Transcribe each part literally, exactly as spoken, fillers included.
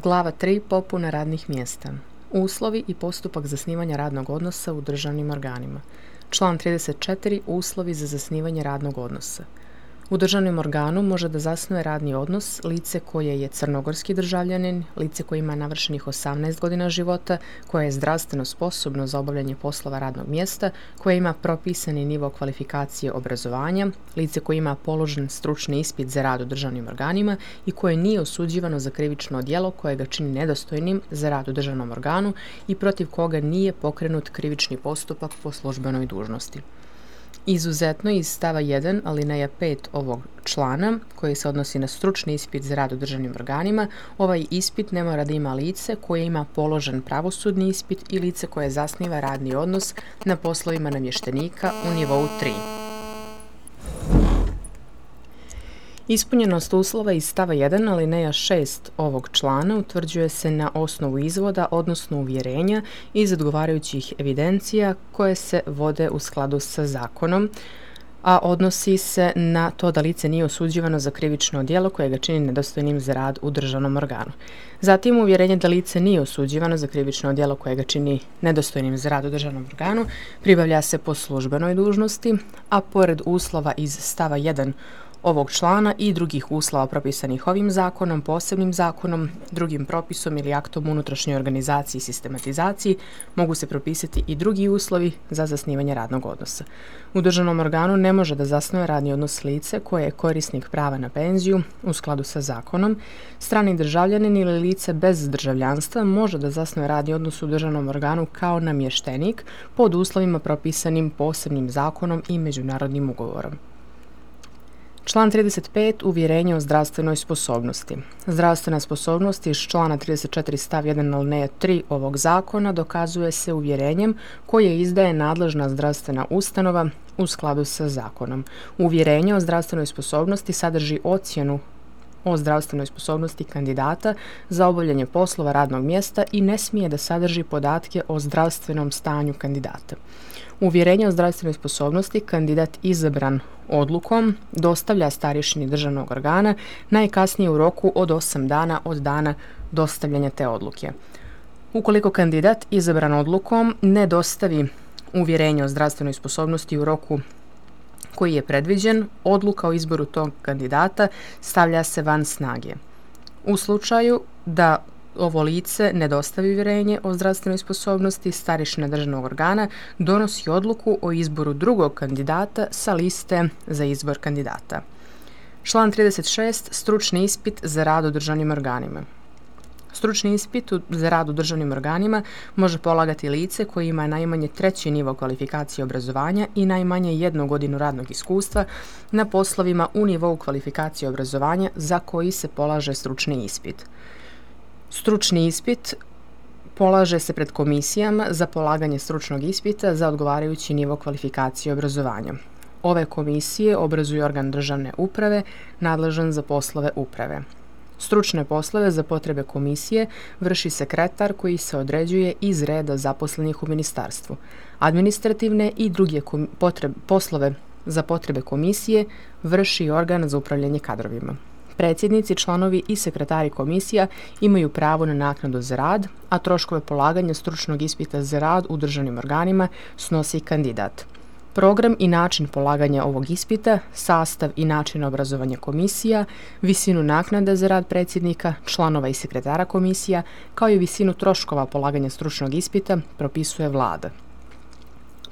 Glava tri. Popuna radnih mjesta. Uslovi i postupak zasnivanja radnog odnosa u državnim organima. Član trideset četiri. Uslovi za zasnivanje radnog odnosa. U državnom organu može da zasnuje radni odnos lice koje je crnogorski državljanin, lice koje ima navršenih osamnaest godina života, koje je zdravstveno sposobno za obavljanje poslova radnog mjesta, koje ima propisani nivo kvalifikacije obrazovanja, lice koje ima položen stručni ispit za rad u državnim organima i koje nije osuđivano za krivično djelo koje ga čini nedostojnim za rad u državnom organu i protiv koga nije pokrenut krivični postupak po službenoj dužnosti. Izuzetno iz stava jedan alineja pet ovog člana, koji se odnosi na stručni ispit za rad u državnim organima, ovaj ispit ne mora da ima lice koje ima položen pravosudni ispit i lice koje zasniva radni odnos na poslovima namještenika u nivou tri. Ispunjenost uslova iz stava jedan alineja šest ovog člana utvrđuje se na osnovu izvoda, odnosno uvjerenja iz odgovarajućih evidencija koje se vode u skladu sa zakonom, a odnosi se na to da lice nije osuđivano za krivično djelo koje ga čini nedostojnim za rad u državnom organu. Zatim uvjerenje da lice nije osuđivano za krivično djelo koje ga čini nedostojnim za rad u državnom organu pribavlja se po službenoj dužnosti, a pored uslova iz stava jedan ovog člana i drugih uslova propisanih ovim zakonom, posebnim zakonom, drugim propisom ili aktom unutrašnjoj organizaciji i sistematizaciji mogu se propisati i drugi uslovi za zasnivanje radnog odnosa. U državnom organu ne može da zasnuje radni odnos lice koje je korisnik prava na penziju u skladu sa zakonom. Strani državljanin ili lice bez državljanstva može da zasnuje radni odnos u državnom organu kao namještenik pod uslovima propisanim posebnim zakonom i međunarodnim ugovorom. Član trideset pet. Uvjerenje o zdravstvenoj sposobnosti. Zdravstvena sposobnost iz člana trideset četiri stav jedan alineja tri ovog zakona dokazuje se uvjerenjem koje izdaje nadležna zdravstvena ustanova u skladu sa zakonom. Uvjerenje o zdravstvenoj sposobnosti sadrži ocjenu o zdravstvenoj sposobnosti kandidata za obavljanje poslova radnog mjesta i ne smije da sadrži podatke o zdravstvenom stanju kandidata. Uvjerenje o zdravstvenoj sposobnosti kandidat izabran odlukom dostavlja starješini državnog organa najkasnije u roku od osam dana od dana dostavljanja te odluke. Ukoliko kandidat izabran odlukom ne dostavi uvjerenje o zdravstvenoj sposobnosti u roku koji je predviđen, odluka o izboru tog kandidata stavlja se van snage. U slučaju da ovo lice ne dostavi uvjerenje o zdravstvenoj sposobnosti, starješina državnog organa donosi odluku o izboru drugog kandidata sa liste za izbor kandidata. Član trideset šest. Stručni ispit za rad u državnim organima. Stručni ispit za rad u državnim organima može polagati lice koje ima najmanje treći nivo kvalifikacije obrazovanja i najmanje jednu godinu radnog iskustva na poslovima u nivou kvalifikacije obrazovanja za koji se polaže stručni ispit. Stručni ispit polaže se pred komisijama za polaganje stručnog ispita za odgovarajući nivo kvalifikacije obrazovanja. Ove komisije obrazuje organ državne uprave nadležan za poslove uprave. Stručne poslove za potrebe komisije vrši sekretar koji se određuje iz reda zaposlenih u ministarstvu. Administrativne i druge potrebe, poslove za potrebe komisije vrši organ za upravljanje kadrovima. Predsjednici, članovi i sekretari komisija imaju pravo na naknadu za rad, a troškove polaganja stručnog ispita za rad u državnim organima snosi kandidat. Program i način polaganja ovog ispita, sastav i način obrazovanja komisija, visinu naknada za rad predsjednika, članova i sekretara komisija, kao i visinu troškova polaganja stručnog ispita propisuje vlada.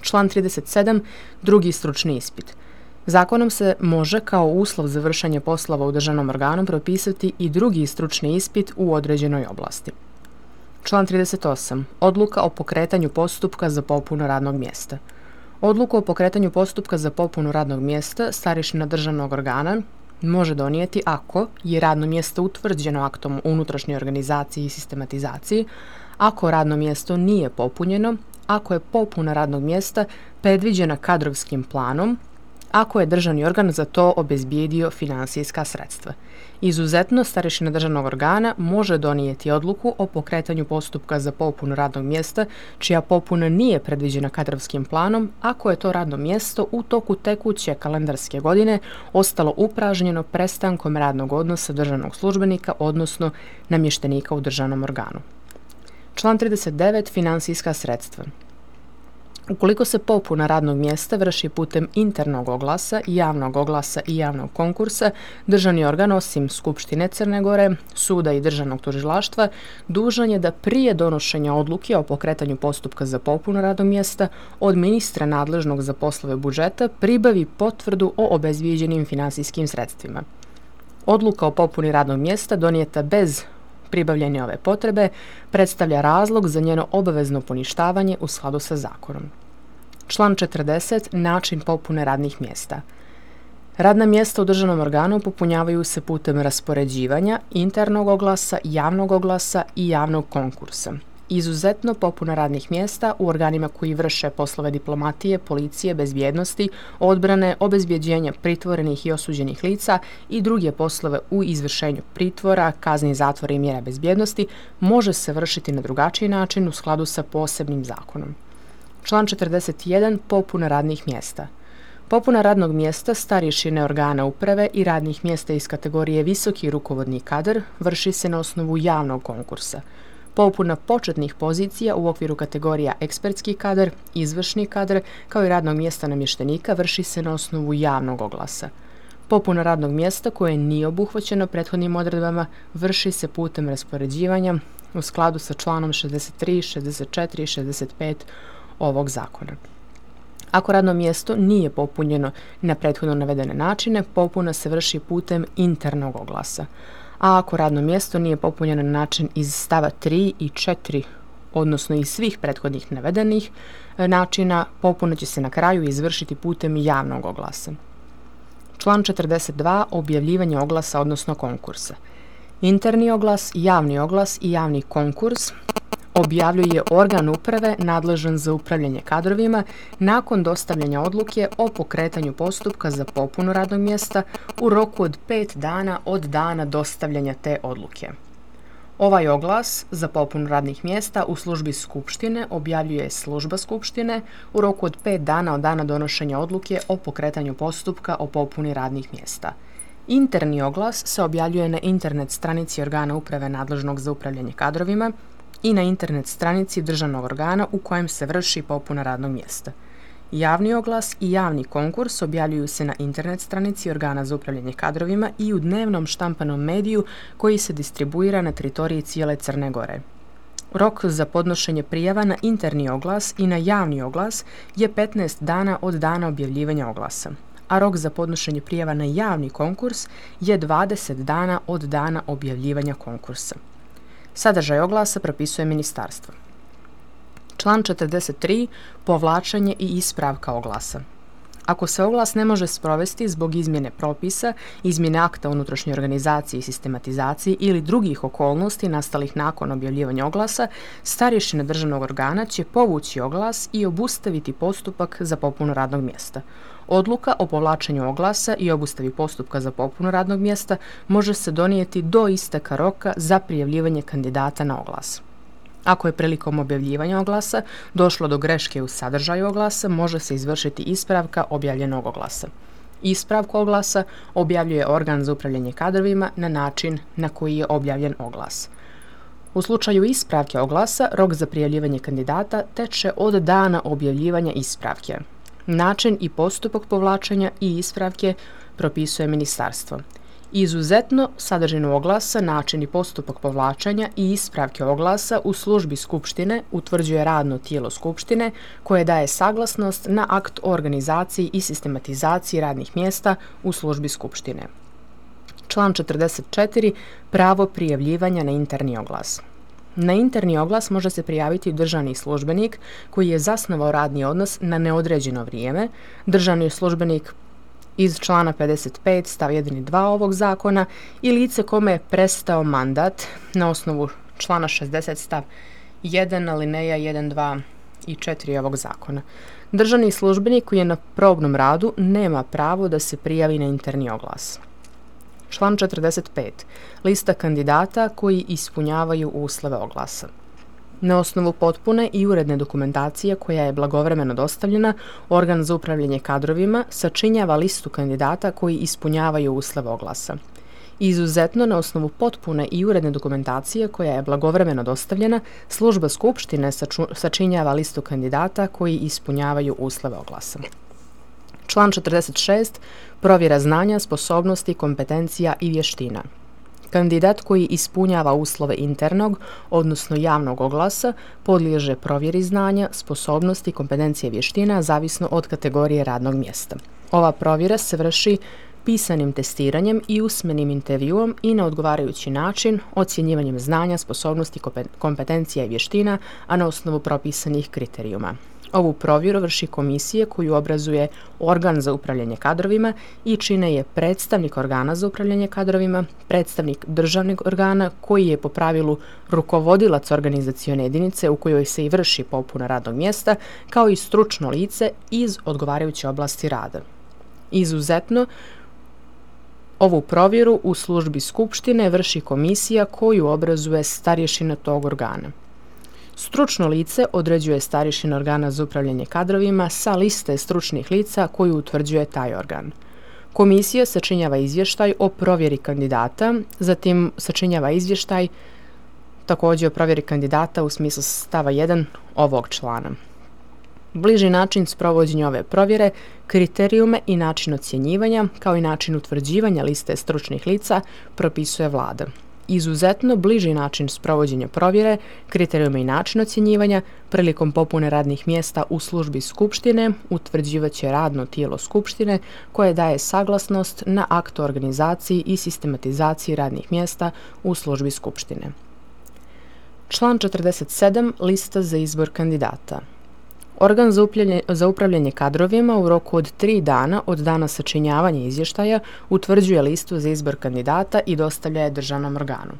Član trideset sedam. Drugi stručni ispit. Zakonom se može kao uslov za vršenje poslova u državnom organu propisati i drugi stručni ispit u određenoj oblasti. Član trideset osam. Odluka o pokretanju postupka za popunu radnog mjesta. Odluku o pokretanju postupka za popunu radnog mjesta starješina državnog organa može donijeti ako je radno mjesto utvrđeno aktom o unutrašnjoj organizaciji i sistematizaciji, ako radno mjesto nije popunjeno, ako je popuna radnog mjesta predviđena kadrovskim planom ako je državni organ za to obezbijedio finansijska sredstva. Izuzetno, starešina državnog organa može donijeti odluku o pokretanju postupka za popunu radnog mjesta čija popuna nije predviđena kadrovskim planom ako je to radno mjesto u toku tekuće kalendarske godine ostalo upražnjeno prestankom radnog odnosa državnog službenika, odnosno namještenika u državnom organu. Član trideset devet. Finansijska sredstva. Ukoliko se popuna radnog mjesta vrši putem internog oglasa, javnog oglasa i javnog konkursa, državni organ, osim Skupštine Crne Gore, suda i državnog tužilaštva, dužan je da prije donošenja odluke o pokretanju postupka za popunu radnog mjesta od ministra nadležnog za poslove budžeta pribavi potvrdu o obezbijeđenim finansijskim sredstvima. Odluka o popuni radnog mjesta donijeta bez pribavljene ove potrebe predstavlja razlog za njeno obavezno poništavanje u skladu sa zakonom. Član četrdeset. Način popune radnih mjesta. Radna mjesta u državnom organu popunjavaju se putem raspoređivanja, internog oglasa, javnog oglasa i javnog konkursa. Izuzetno, popuna radnih mjesta u organima koji vrše poslove diplomatije, policije, bezbjednosti, odbrane, obezbjeđenja pritvorenih i osuđenih lica i druge poslove u izvršenju pritvora, kazni zatvora i mjera bezbjednosti može se vršiti na drugačiji način u skladu sa posebnim zakonom. Član četrdeset jedan. Popuna radnih mjesta. Popuna radnog mjesta starješine organa uprave i radnih mjesta iz kategorije visoki rukovodni kadar vrši se na osnovu javnog konkursa. Popuna početnih pozicija u okviru kategorija ekspertski kadar, izvršni kadar, kao i radnog mjesta namještenika vrši se na osnovu javnog oglasa. Popuna radnog mjesta koje nije obuhvaćeno prethodnim odredbama vrši se putem raspoređivanja u skladu sa članom šezdeset tri, šezdeset četiri i šezdeset pet ovog zakona. Ako radno mjesto nije popunjeno na prethodno navedene načine, popuna se vrši putem internog oglasa. A ako radno mjesto nije popunjeno na način iz stava tri i četiri, odnosno iz svih prethodnih navedenih načina, popuna će se na kraju izvršiti putem javnog oglasa. Član četrdeset dva. Objavljivanje oglasa, odnosno konkursa. Interni oglas, javni oglas i javni konkurs objavljuje organ uprave nadležan za upravljanje kadrovima nakon dostavljanja odluke o pokretanju postupka za popunu radnog mjesta u roku od pet dana od dana dostavljanja te odluke. Ovaj oglas za popunu radnih mjesta u službi Skupštine objavljuje služba Skupštine u roku od pet dana od dana donošenja odluke o pokretanju postupka o popuni radnih mjesta. Interni oglas se objavljuje na internet stranici organa uprave nadležnog za upravljanje kadrovima i na internet stranici državnog organa u kojem se vrši popuna radnog mjesta. Javni oglas i javni konkurs objavljuju se na internet stranici organa za upravljanje kadrovima i u dnevnom štampanom mediju koji se distribuira na teritoriji cijele Crne Gore. Rok za podnošenje prijava na interni oglas i na javni oglas je petnaest dana od dana objavljivanja oglasa, a rok za podnošenje prijava na javni konkurs je dvadeset dana od dana objavljivanja konkursa. Sadržaj oglasa propisuje ministarstvo. Član četrdeset tri. Povlačenje i ispravka oglasa. Ako se oglas ne može sprovesti zbog izmjene propisa, izmjene akta unutrašnje organizacije i sistematizacije ili drugih okolnosti nastalih nakon objavljivanja oglasa, starješina državnog organa će povući oglas i obustaviti postupak za popunu radnog mjesta. Odluka o povlačenju oglasa i obustavi postupka za popunu radnog mjesta može se donijeti do isteka roka za prijavljivanje kandidata na oglas. Ako je prilikom objavljivanja oglasa došlo do greške u sadržaju oglasa, može se izvršiti ispravka objavljenog oglasa. Ispravku oglasa objavljuje organ za upravljanje kadrovima na način na koji je objavljen oglas. U slučaju ispravke oglasa, rok za prijavljivanje kandidata teče od dana objavljivanja ispravke. Način i postupak povlačenja i ispravke propisuje ministarstvo. Izuzetno, sadržinu oglasa, način i postupak povlačenja i ispravke oglasa u službi Skupštine utvrđuje radno tijelo Skupštine koje daje saglasnost na akt o organizaciji i sistematizaciji radnih mjesta u službi Skupštine. Član četrdeset četiri. Pravo prijavljivanja na interni oglas. Na interni oglas može se prijaviti državni službenik koji je zasnovao radni odnos na neodređeno vrijeme, državni službenik iz člana pedeset pet stav jedan i dva ovog zakona i lice kome je prestao mandat na osnovu člana šezdeset stav jedan alineja jedan, dva i četiri ovog zakona. Državni službenik koji je na probnom radu nema pravo da se prijavi na interni oglas. Član četrdeset pet. Lista kandidata koji ispunjavaju uslove oglasa. Na osnovu potpune i uredne dokumentacije koja je blagovremeno dostavljena, organ za upravljanje kadrovima sačinjava listu kandidata koji ispunjavaju uslove oglasa. Izuzetno, na osnovu potpune i uredne dokumentacije koja je blagovremeno dostavljena, služba Skupštine sačinjava listu kandidata koji ispunjavaju uslove oglasa. Član četrdeset šest. Provjera znanja, sposobnosti, kompetencija i vještina. Kandidat koji ispunjava uslove internog, odnosno javnog oglasa, podliježe provjeri znanja, sposobnosti, kompetencije i vještina zavisno od kategorije radnog mjesta. Ova provjera se vrši pisanim testiranjem i usmenim intervjuom i na odgovarajući način ocjenjivanjem znanja, sposobnosti, kompetencija i vještina, a na osnovu propisanih kriterijuma. Ovu provjeru vrši komisija koju obrazuje organ za upravljanje kadrovima i čine je predstavnik organa za upravljanje kadrovima, predstavnik državnog organa koji je po pravilu rukovodilac organizacione jedinice u kojoj se i vrši popuna radnog mjesta, kao i stručno lice iz odgovarajuće oblasti rada. Izuzetno, ovu provjeru u službi Skupštine vrši komisija koju obrazuje starješina tog organa. Stručno lice određuje starješina organa za upravljanje kadrovima sa liste stručnih lica koju utvrđuje taj organ. Komisija sačinjava izvještaj o provjeri kandidata, zatim sačinjava izvještaj također o provjeri kandidata u smislu stava jedan ovog člana. Bliži način sprovođenja ove provjere, kriterijume i način ocjenjivanja, kao i način utvrđivanja liste stručnih lica, propisuje Vlada. Izuzetno bliži način sprovođenja provjere, kriterijume i način ocjenjivanja prilikom popune radnih mjesta u službi Skupštine utvrđivaće radno tijelo Skupštine koje daje saglasnost na akt o organizaciji i sistematizaciji radnih mjesta u službi Skupštine. Član četrdeset sedam. Lista za izbor kandidata. Organ za, za upravljanje kadrovima u roku od tri dana od dana sačinjavanja izvještaja utvrđuje listu za izbor kandidata i dostavlja je državnom organu.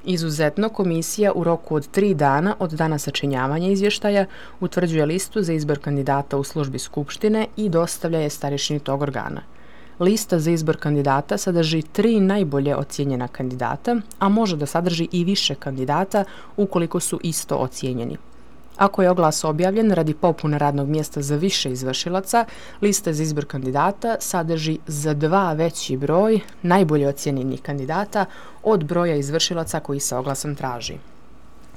Izuzetno, komisija u roku od tri dana od dana sačinjavanja izvještaja utvrđuje listu za izbor kandidata u službi Skupštine i dostavlja je starješini tog organa. Lista za izbor kandidata sadrži tri najbolje ocijenjena kandidata, a može da sadrži i više kandidata ukoliko su isto ocijenjeni. Ako je oglas objavljen radi popune radnog mjesta za više izvršilaca, lista za izbor kandidata sadrži za dva veći broj najbolje ocijenjenih kandidata od broja izvršilaca koji se oglasom traži.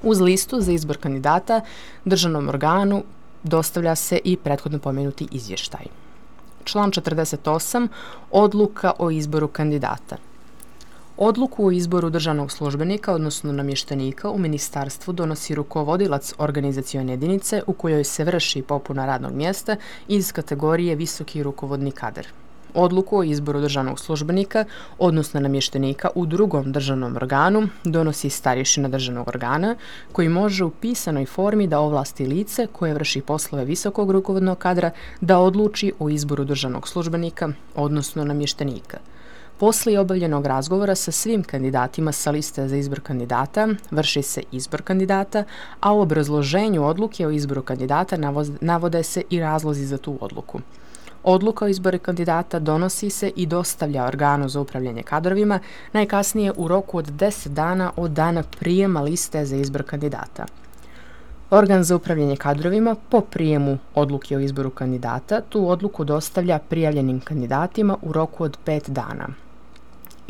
Uz listu za izbor kandidata državnom organu dostavlja se i prethodno pomenuti izvještaj. Član četrdeset osam. Odluka o izboru kandidata. Odluku o izboru državnog službenika, odnosno namještenika u ministarstvu donosi rukovodilac organizacione jedinice u kojoj se vrši popuna radnog mjesta iz kategorije visoki rukovodni kadar. Odluku o izboru državnog službenika, odnosno namještenika u drugom državnom organu donosi starješina državnog organa koji može u pisanoj formi da ovlasti lice koje vrši poslove visokog rukovodnog kadra da odluči o izboru državnog službenika, odnosno namještenika. Poslije obavljenog razgovora sa svim kandidatima sa liste za izbor kandidata vrši se izbor kandidata, a u obrazloženju odluke o izboru kandidata navode se i razlozi za tu odluku. Odluka o izboru kandidata donosi se i dostavlja organu za upravljanje kadrovima najkasnije u roku od deset dana od dana prijema liste za izbor kandidata. Organ za upravljanje kadrovima po prijemu odluke o izboru kandidata tu odluku dostavlja prijavljenim kandidatima u roku od pet dana.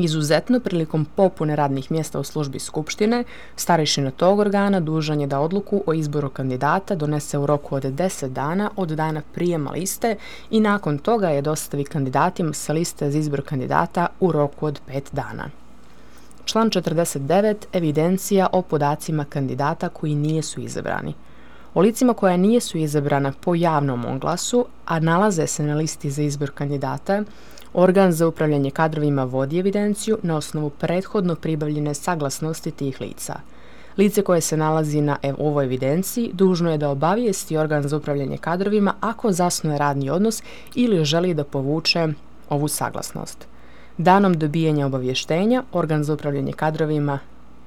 Izuzetno, prilikom popune radnih mjesta u službi Skupštine, starješina tog organa dužan je da odluku o izboru kandidata donese u roku od deset dana od dana prijema liste i nakon toga je dostavi kandidatima sa liste za izbor kandidata u roku od pet dana. Član četrdeset devet. Evidencija o podacima kandidata koji nijesu izabrani. O licima koja nijesu izabrana po javnom oglasu, a nalaze se na listi za izbor kandidata, organ za upravljanje kadrovima vodi evidenciju na osnovu prethodno pribavljene saglasnosti tih lica. Lice koje se nalazi na ovoj evidenciji dužno je da obavijesti organ za upravljanje kadrovima ako zasnuje radni odnos ili želi da povuče ovu saglasnost. Danom dobijanja obavještenja, organ za upravljanje kadrovima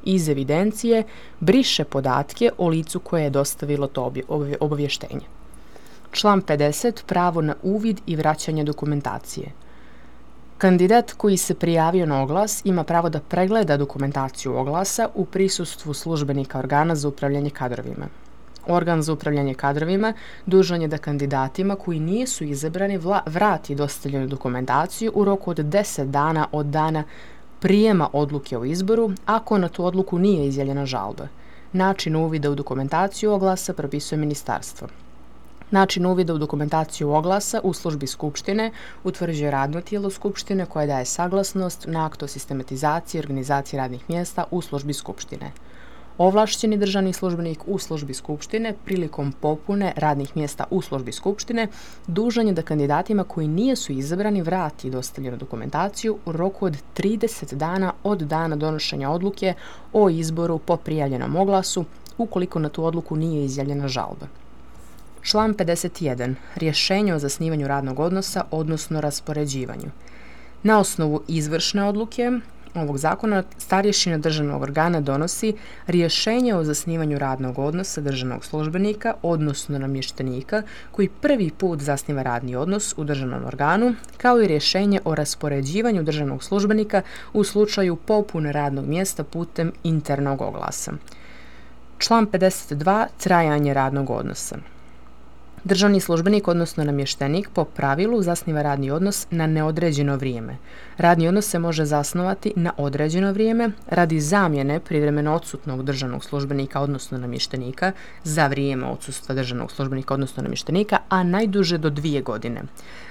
iz evidencije briše podatke o licu koje je dostavilo to obavještenje. Član pedeset. Pravo na uvid i vraćanje dokumentacije. Kandidat koji se prijavio na oglas ima pravo da pregleda dokumentaciju oglasa u prisustvu službenika organa za upravljanje kadrovima. Organ za upravljanje kadrovima dužan je da kandidatima koji nisu izabrani vrati dostavljenu dokumentaciju u roku od deset dana od dana prijema odluke o izboru, ako na tu odluku nije izjavljena žalba. Način uvida u dokumentaciju oglasa propisuje ministarstvo. Način uvida u dokumentaciju oglasa u službi Skupštine utvrđuje radno tijelo Skupštine koje daje saglasnost na akt o sistematizaciji i organizaciji radnih mjesta u službi Skupštine. Ovlašćeni državni službenik u službi Skupštine prilikom popune radnih mjesta u službi Skupštine dužan je da kandidatima koji nisu izabrani vrati dostavljenu dokumentaciju u roku od trideset dana od dana donošenja odluke o izboru po prijavljenom oglasu ukoliko na tu odluku nije izjavljena žalba. Član pedeset jedan. Rješenje o zasnivanju radnog odnosa, odnosno raspoređivanju. Na osnovu izvršne odluke ovog zakona starješina državnog organa donosi rješenje o zasnivanju radnog odnosa državnog službenika, odnosno namještenika, koji prvi put zasniva radni odnos u državnom organu, kao i rješenje o raspoređivanju državnog službenika u slučaju popune radnog mjesta putem internog oglasa. Član pedeset dva. Trajanje radnog odnosa. Državni službenik, odnosno namještenik, po pravilu zasniva radni odnos na neodređeno vrijeme. Radni odnos se može zasnovati na određeno vrijeme radi zamjene privremeno odsutnog državnog službenika, odnosno namještenika, za vrijeme odsustva državnog službenika, odnosno namještenika, a najduže do dvije godine.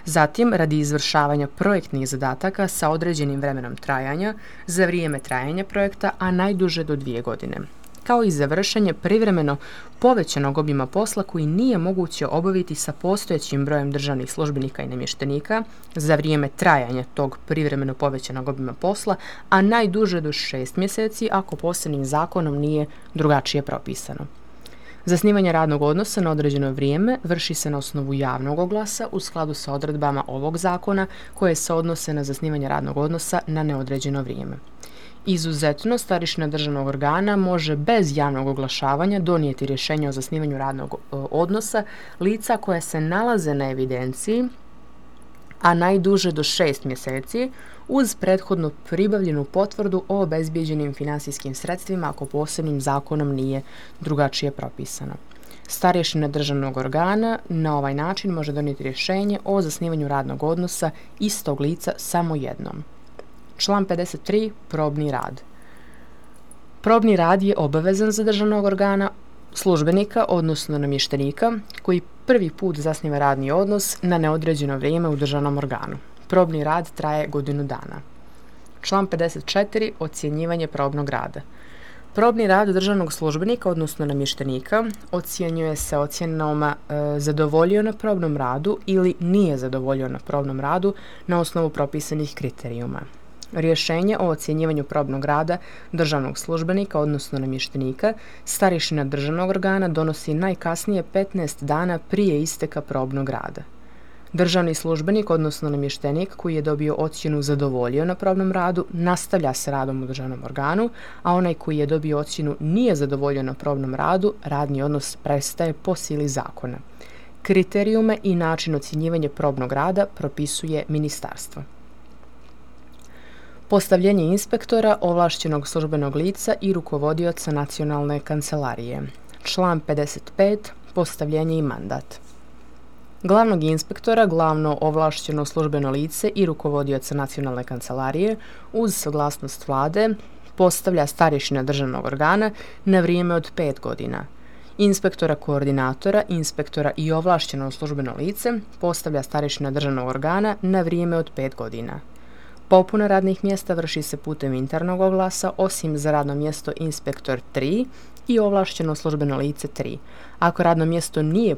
Zatim, radi izvršavanja projektnih zadataka sa određenim vremenom trajanja, za vrijeme trajanja projekta, a najduže do dvije godine. Kao i za vršenje privremeno povećanog obima posla koji nije moguće obaviti sa postojećim brojem državnih službenika i namještenika za vrijeme trajanja tog privremeno povećanog obima posla, a najduže do šest mjeseci ako posebnim zakonom nije drugačije propisano. Zasnivanje radnog odnosa na određeno vrijeme vrši se na osnovu javnog oglasa u skladu sa odredbama ovog zakona koje se odnose na zasnivanje radnog odnosa na neodređeno vrijeme. Izuzetno, starješina državnog organa može bez javnog oglašavanja donijeti rješenje o zasnivanju radnog odnosa lica koje se nalaze na evidenciji, a najduže do šest mjeseci, uz prethodno pribavljenu potvrdu o obezbijeđenim finansijskim sredstvima ako posebnim zakonom nije drugačije propisano. Starješina državnog organa na ovaj način može donijeti rješenje o zasnivanju radnog odnosa istog lica samo jednom. Član pedeset tri. Probni rad. Probni rad je obavezan za državnog organa, službenika, odnosno namještenika, koji prvi put zasniva radni odnos na neodređeno vrijeme u državnom organu. Probni rad traje godinu dana. Član pedeset četiri. Ocjenjivanje probnog rada. Probni rad državnog službenika, odnosno namještenika, ocjenjuje se ocjenom e, zadovoljio na probnom radu ili nije zadovoljio na probnom radu na osnovu propisanih kriterijuma. Rješenje o ocjenjivanju probnog rada državnog službenika, odnosno namještenika, starješina državnog organa donosi najkasnije petnaest dana prije isteka probnog rada. Državni službenik, odnosno namještenik koji je dobio ocjenu zadovoljio na probnom radu, nastavlja s radom u državnom organu, a onaj koji je dobio ocjenu nije zadovoljio na probnom radu, radni odnos prestaje po sili zakona. Kriterijume i način ocjenjivanja probnog rada propisuje ministarstvo. Postavljenje inspektora, ovlašćenog službenog lica i rukovodioca nacionalne kancelarije. Član pedeset pet. Postavljenje i mandat. Glavnog inspektora, glavno ovlašćeno službeno lice i rukovodioca nacionalne kancelarije uz saglasnost vlade postavlja starješina državnog organa na vrijeme od pet godina. Inspektora koordinatora, inspektora i ovlašćeno službeno lice postavlja starješina državnog organa na vrijeme od pet godina. Popuna radnih mjesta vrši se putem internog oglasa, osim za radno mjesto inspektor tri i ovlašćeno službeno lice tri. Ako radno mjesto nije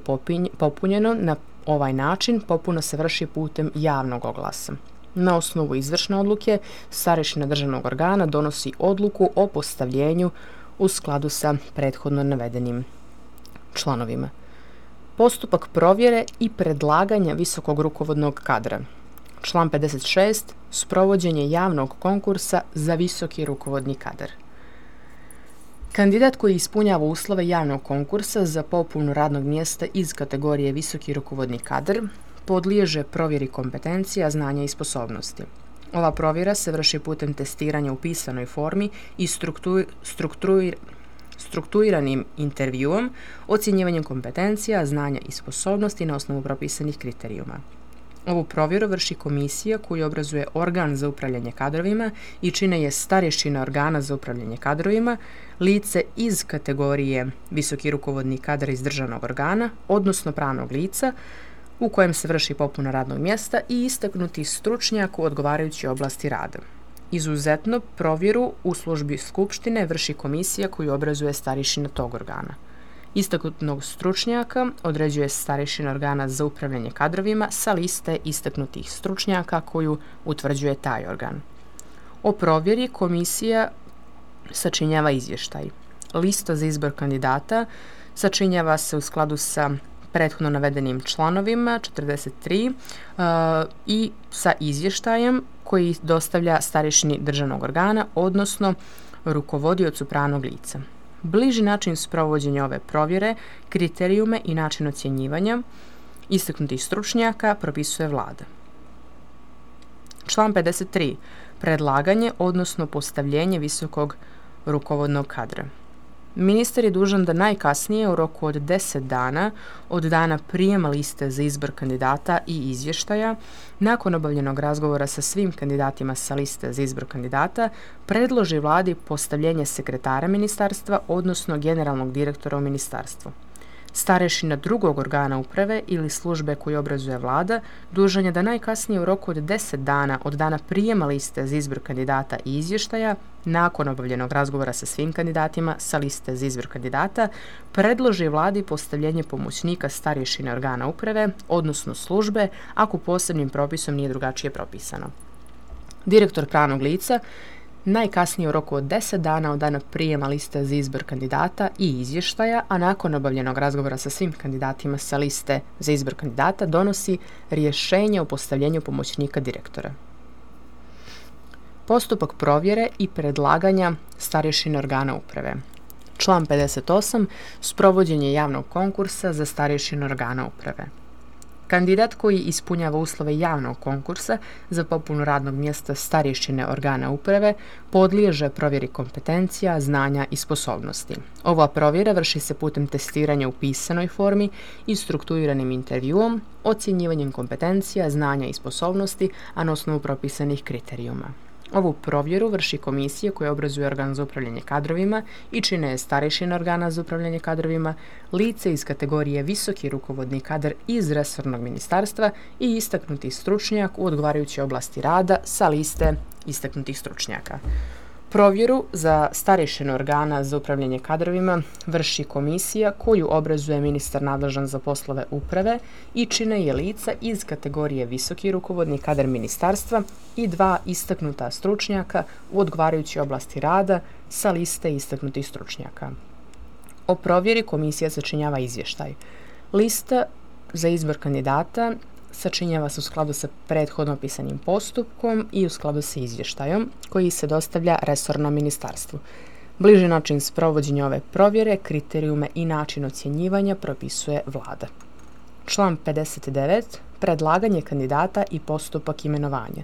popunjeno na ovaj način, popuna se vrši putem javnog oglasa. Na osnovu izvršne odluke, starješina državnog organa donosi odluku o postavljenju u skladu sa prethodno navedenim članovima. Postupak provjere i predlaganja visokog rukovodnog kadra. Član pedeset šest. Sprovođenje javnog konkursa za visoki rukovodni kadar. Kandidat koji ispunjava uslove javnog konkursa za popunu radnog mjesta iz kategorije visoki rukovodni kadar podliježe provjeri kompetencija, znanja i sposobnosti. Ova provjera se vrši putem testiranja u pisanoj formi i struktur, struktur, strukturiranim intervjuom, ocjenjivanjem kompetencija, znanja i sposobnosti na osnovu propisanih kriterijuma. Ovu provjeru vrši komisija koju obrazuje organ za upravljanje kadrovima i čine je starješina organa za upravljanje kadrovima, lice iz kategorije visoki rukovodni kadar iz državnog organa, odnosno pravnog lica, u kojem se vrši popuna radnog mjesta i istaknuti stručnjak u odgovarajućoj oblasti rada. Izuzetno, provjeru u službi skupštine vrši komisija koju obrazuje starješina tog organa. Istaknutog stručnjaka određuje starješina organa za upravljanje kadrovima sa liste istaknutih stručnjaka koju utvrđuje taj organ. O provjeri komisija sačinjava izvještaj. Lista za izbor kandidata sačinjava se u skladu sa prethodno navedenim članovima četrdeset tri uh, i sa izvještajem koji dostavlja starješini državnog organa, odnosno rukovodiocu pravnog lica. Bliži način sprovođenja ove provjere, kriterijume i način ocjenjivanja istaknutih stručnjaka propisuje Vlada. Član pedeset tri. Predlaganje, odnosno postavljenje visokog rukovodnog kadra. Ministar je dužan da najkasnije u roku od deset dana od dana prijema liste za izbor kandidata i izvještaja, nakon obavljenog razgovora sa svim kandidatima sa liste za izbor kandidata, predloži Vladi postavljenje sekretara ministarstva, odnosno generalnog direktora u ministarstvu. Starješina drugog organa uprave ili službe koju obrazuje Vlada dužan je da najkasnije u roku od deset dana od dana prijema liste za izbor kandidata i izvještaja, nakon obavljenog razgovora sa svim kandidatima sa liste za izbor kandidata, predloži Vladi postavljenje pomoćnika starješine organa uprave, odnosno službe, ako posebnim propisom nije drugačije propisano. Direktor pravnog lica najkasnije u roku od deset dana od dana prijema liste za izbor kandidata i izvještaja, a nakon obavljenog razgovora sa svim kandidatima sa liste za izbor kandidata donosi rješenje o postavljenju pomoćnika direktora. Postupak provjere i predlaganja starješine organa uprave. Član pedeset osam. Sprovođenje javnog konkursa za starješinu organa uprave. Kandidat koji ispunjava uslove javnog konkursa za popunu radnog mjesta starješine organa uprave podliježe provjeri kompetencija, znanja i sposobnosti. Ova provjera vrši se putem testiranja u pisanoj formi i strukturiranim intervjuom, ocjenjivanjem kompetencija, znanja i sposobnosti, a na osnovu propisanih kriterijuma. Ovu provjeru vrši komisija koja obrazuje organ za upravljanje kadrovima i čine je starješina organa za upravljanje kadrovima, lice iz kategorije visoki rukovodni kadar iz resornog ministarstva i istaknuti stručnjak u odgovarajućoj oblasti rada sa liste istaknutih stručnjaka. Provjeru za starješinu organa za upravljanje kadrovima vrši komisija koju obrazuje ministar nadležan za poslove uprave i čine je lica iz kategorije visoki rukovodni kadar ministarstva i dva istaknuta stručnjaka u odgovarajućoj oblasti rada sa liste istaknutih stručnjaka. O provjeri komisija sačinjava izvještaj. Lista za izbor kandidata sačinjava se u skladu sa prethodno opisanim postupkom i u skladu sa izvještajom koji se dostavlja resornom ministarstvu. Bliži način sprovođenja ove provjere, kriterijume i način ocjenjivanja propisuje Vlada. Član pedeset devet. Predlaganje kandidata i postupak imenovanja.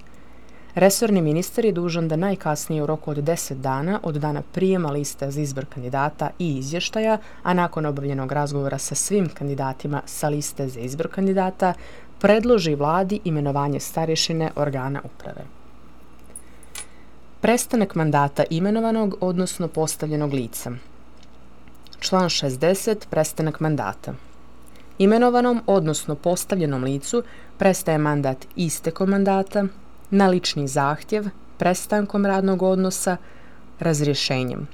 Resorni ministar je dužan da najkasnije u roku od deset dana od dana prijema liste za izbor kandidata i izvještaja, a nakon obavljenog razgovora sa svim kandidatima sa liste za izbor kandidata, predloži Vladi imenovanje starješine organa uprave. Prestanak mandata imenovanog, odnosno postavljenog lica. Član šezdeset. Prestanak mandata. Imenovanom, odnosno postavljenom licu prestaje mandat istekom mandata, na lični zahtjev, prestankom radnog odnosa, razrješenjem.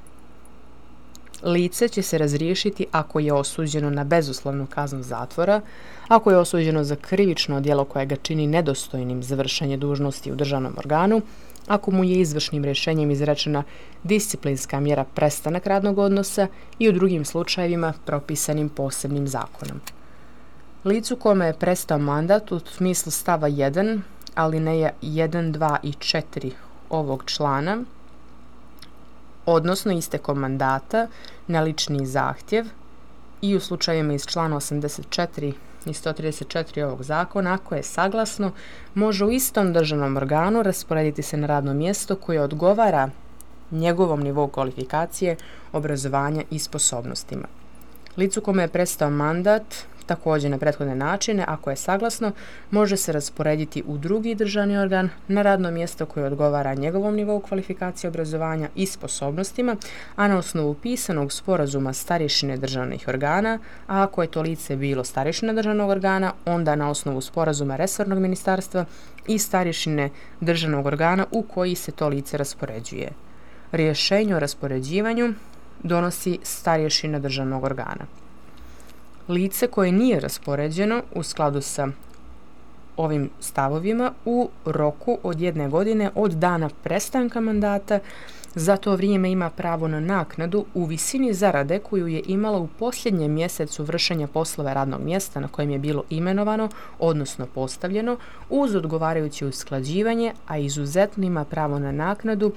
Lice će se razriješiti ako je osuđeno na bezuslovnu kaznu zatvora, ako je osuđeno za krivično djelo koje ga čini nedostojnim za vršenje dužnosti u državnom organu, ako mu je izvršnim rješenjem izrečena disciplinska mjera prestanak radnog odnosa i u drugim slučajevima propisanim posebnim zakonom. Licu kome je prestao mandat u smislu stava jedan, alineja jedan, dva i četiri ovog člana odnosno istekom mandata na lični zahtjev i u slučajevima iz člana osamdeset četiri i sto trideset četiri ovog zakona, ako je saglasno, može u istom državnom organu rasporediti se na radno mjesto koje odgovara njegovom nivou kvalifikacije, obrazovanja i sposobnostima. Licu kome je prestao mandat, također na prethodne načine, ako je saglasno, može se rasporediti u drugi državni organ na radno mjesto koje odgovara njegovom nivou kvalifikacije, obrazovanja i sposobnostima, a na osnovu pisanog sporazuma starješine državnih organa, a ako je to lice bilo starješina državnog organa, onda na osnovu sporazuma resornog ministarstva i starješine državnog organa u koji se to lice raspoređuje. Rješenje o raspoređivanju donosi starješina državnog organa. Lice koje nije raspoređeno u skladu sa ovim stavovima u roku od jedne godine od dana prestanka mandata za to vrijeme ima pravo na naknadu u visini zarade koju je imala u posljednjem mjesecu vršenja poslova radnog mjesta na kojem je bilo imenovano, odnosno postavljeno, uz odgovarajuće usklađivanje, a izuzetno ima pravo na naknadu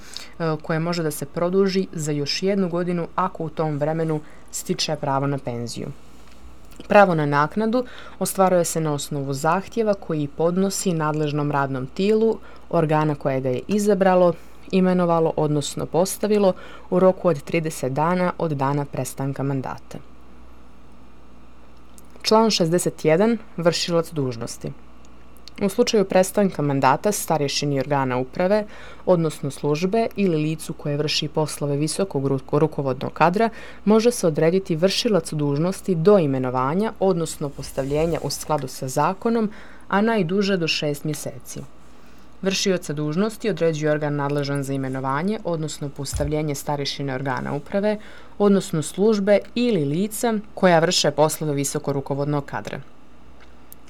koje može da se produži za još jednu godinu ako u tom vremenu stiče pravo na penziju. Pravo na naknadu ostvaruje se na osnovu zahtjeva koji podnosi nadležnom radnom tijelu organa koje ga je izabralo, imenovalo, odnosno postavilo u roku od trideset dana od dana prestanka mandata. Član šezdeset jedan. Vršilac dužnosti. U slučaju prestanka mandata starješini organa uprave, odnosno službe ili licu koje vrši poslove visokog rukovodnog kadra, može se odrediti vršilac dužnosti do imenovanja, odnosno postavljenja u skladu sa zakonom, a najduže do šest mjeseci. Vršioca dužnosti određuje organ nadležan za imenovanje, odnosno postavljenje starješine organa uprave, odnosno službe ili lica koja vrše poslove visokog rukovodnog kadra.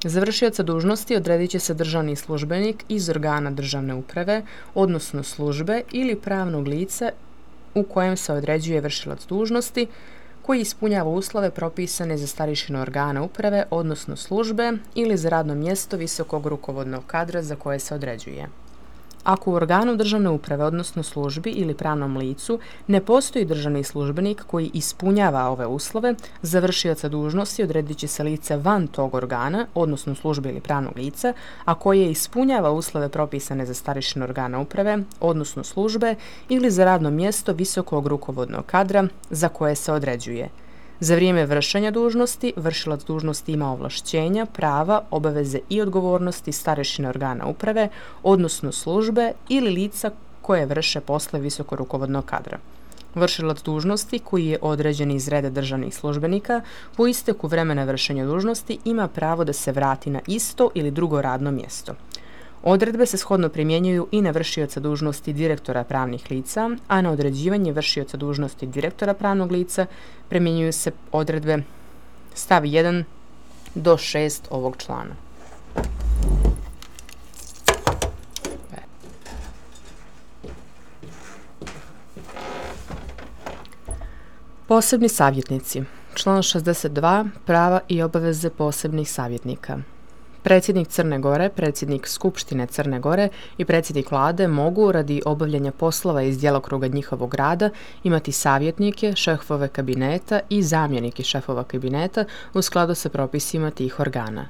Za vršioca dužnosti odredit će se državni službenik iz organa državne uprave, odnosno službe ili pravnog lica u kojem se određuje vršilac dužnosti koji ispunjava uslove propisane za starješinu organa uprave, odnosno službe ili za radno mjesto visokog rukovodnog kadra za koje se određuje. Ako u organu državne uprave, odnosno službi ili pravnom licu, ne postoji državni službenik koji ispunjava ove uslove, za vršioca dužnosti odredit će se lice van tog organa, odnosno službe ili pravnog lica, a koje ispunjava uslove propisane za starješinu organa uprave, odnosno službe ili za radno mjesto visokog rukovodnog kadra za koje se određuje. Za vrijeme vršenja dužnosti, vršilac dužnosti ima ovlašćenja, prava, obaveze i odgovornosti starješine organa uprave, odnosno službe ili lica koje vrše posle visoko rukovodnog kadra. Vršilac dužnosti koji je određen iz reda državnih službenika po isteku vremena vršenja dužnosti ima pravo da se vrati na isto ili drugo radno mjesto. Odredbe se shodno primjenjuju i na vršioca dužnosti direktora pravnih lica, a na određivanje vršioca dužnosti direktora pravnog lica primjenjuju se odredbe stav jedan do šest ovog člana. Posebni savjetnici. Član šezdeset dva. Prava i obaveze posebnih savjetnika. Predsjednik Crne Gore, predsjednik Skupštine Crne Gore i predsjednik vlade mogu radi obavljanja poslova iz djelokruga njihovog rada imati savjetnike, šefove kabineta i zamjenike šefova kabineta u skladu sa propisima tih organa.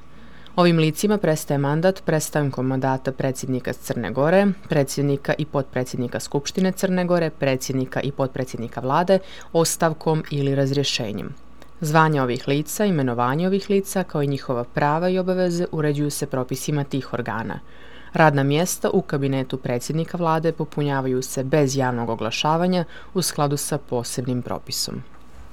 Ovim licima prestaje mandat prestankom mandata predsjednika Crne Gore, predsjednika i potpredsjednika Skupštine Crne Gore, predsjednika i potpredsjednika vlade, ostavkom ili razrješenjem. Zvanja ovih lica, imenovanje ovih lica, kao i njihova prava i obaveze uređuju se propisima tih organa. Radna mjesta u kabinetu predsjednika vlade popunjavaju se bez javnog oglašavanja u skladu sa posebnim propisom.